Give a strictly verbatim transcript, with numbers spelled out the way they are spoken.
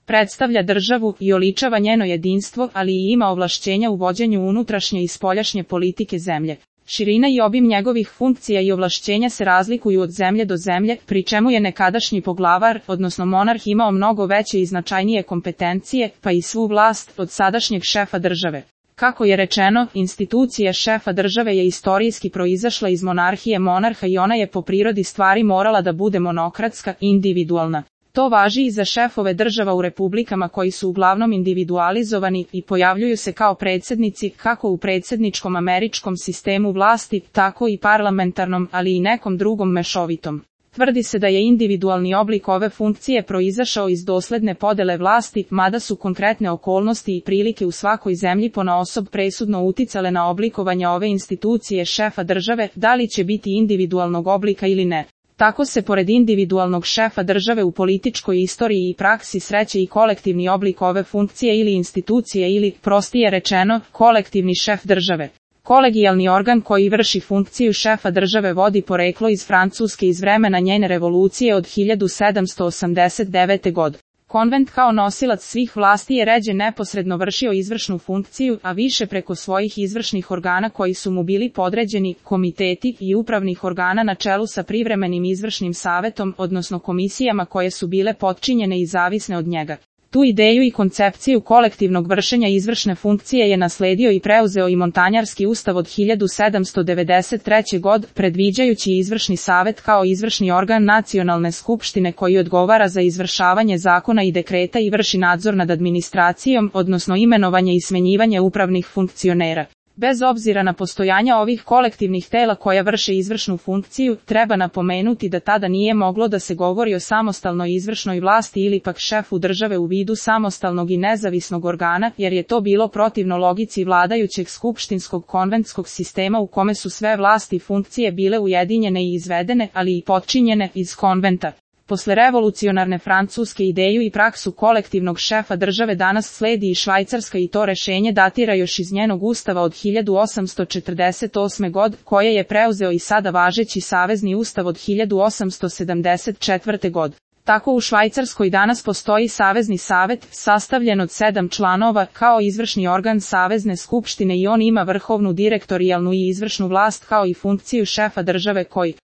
predstavlja državu i oličava njeno jedinstvo, ali i ima ovlašćenja u vođenju unutrašnje i spoljašnje politike zemlje. Širina i obim njegovih funkcija i ovlašćenja se razlikuju od zemlje do zemlje, pri čemu je nekadašnji poglavar, odnosno monarh, imao mnogo veće i značajnije kompetencije, pa i svu vlast, od sadašnjeg šefa države. Kako je rečeno, institucija šefa države je istorijski proizašla iz monarhije monarha i ona je po prirodi stvari morala da bude monokratska, individualna. To važi i za šefove država u republikama koji su uglavnom individualizovani i pojavljuju se kao predsjednici kako u predsjedničkom američkom sistemu vlasti, tako i parlamentarnom, ali i nekom drugom mešovitom. Tvrdi se da je individualni oblik ove funkcije proizašao iz dosledne podele vlasti, mada su konkretne okolnosti i prilike u svakoj zemlji ponaosob presudno uticale na oblikovanje ove institucije šefa države, da li će biti individualnog oblika ili ne. Tako se pored individualnog šefa države u političkoj istoriji i praksi sreće i kolektivni oblik ove funkcije ili institucije ili, prostije rečeno, kolektivni šef države. Kolegijalni organ koji vrši funkciju šefa države vodi poreklo iz Francuske iz vremena njene revolucije od hiljadu sedamsto osamdeset devete. godine. Konvent kao nosilac svih vlasti je ređe neposredno vršio izvršnu funkciju, a više preko svojih izvršnih organa koji su mu bili podređeni, komiteti i upravnih organa na čelu sa privremenim izvršnim savetom, odnosno komisijama koje su bile potčinjene i zavisne od njega. Tu ideju i koncepciju kolektivnog vršenja izvršne funkcije je nasledio i preuzeo i Montanjarski ustav od hiljadu sedamsto devedeset treće. godine, predviđajući izvršni savet kao izvršni organ nacionalne skupštine koji odgovara za izvršavanje zakona i dekreta i vrši nadzor nad administracijom, odnosno imenovanje i smenjivanje upravnih funkcionera. Bez obzira na postojanje ovih kolektivnih tela koja vrše izvršnu funkciju, treba napomenuti da tada nije moglo da se govori o samostalnoj izvršnoj vlasti ili pak šefu države u vidu samostalnog i nezavisnog organa, jer je to bilo protivno logici vladajućeg skupštinskog konventskog sistema u kome su sve vlasti i funkcije bile ujedinjene i izvedene, ali i potčinjene iz konventa. Posle revolucionarne Francuske ideju i praksu kolektivnog šefa države danas sledi i Švajcarska i to rešenje datira još iz njenog ustava od hiljadu osamsto četrdeset osme. godine, koje je preuzeo i sada važeći savezni ustav od hiljadu osamsto sedamdeset četvrte. godine. Tako u Švajcarskoj danas postoji savezni savet, sastavljen od sedam članova, kao izvršni organ savezne skupštine i on ima vrhovnu direktorijalnu i izvršnu vlast kao i funkciju šefa države koji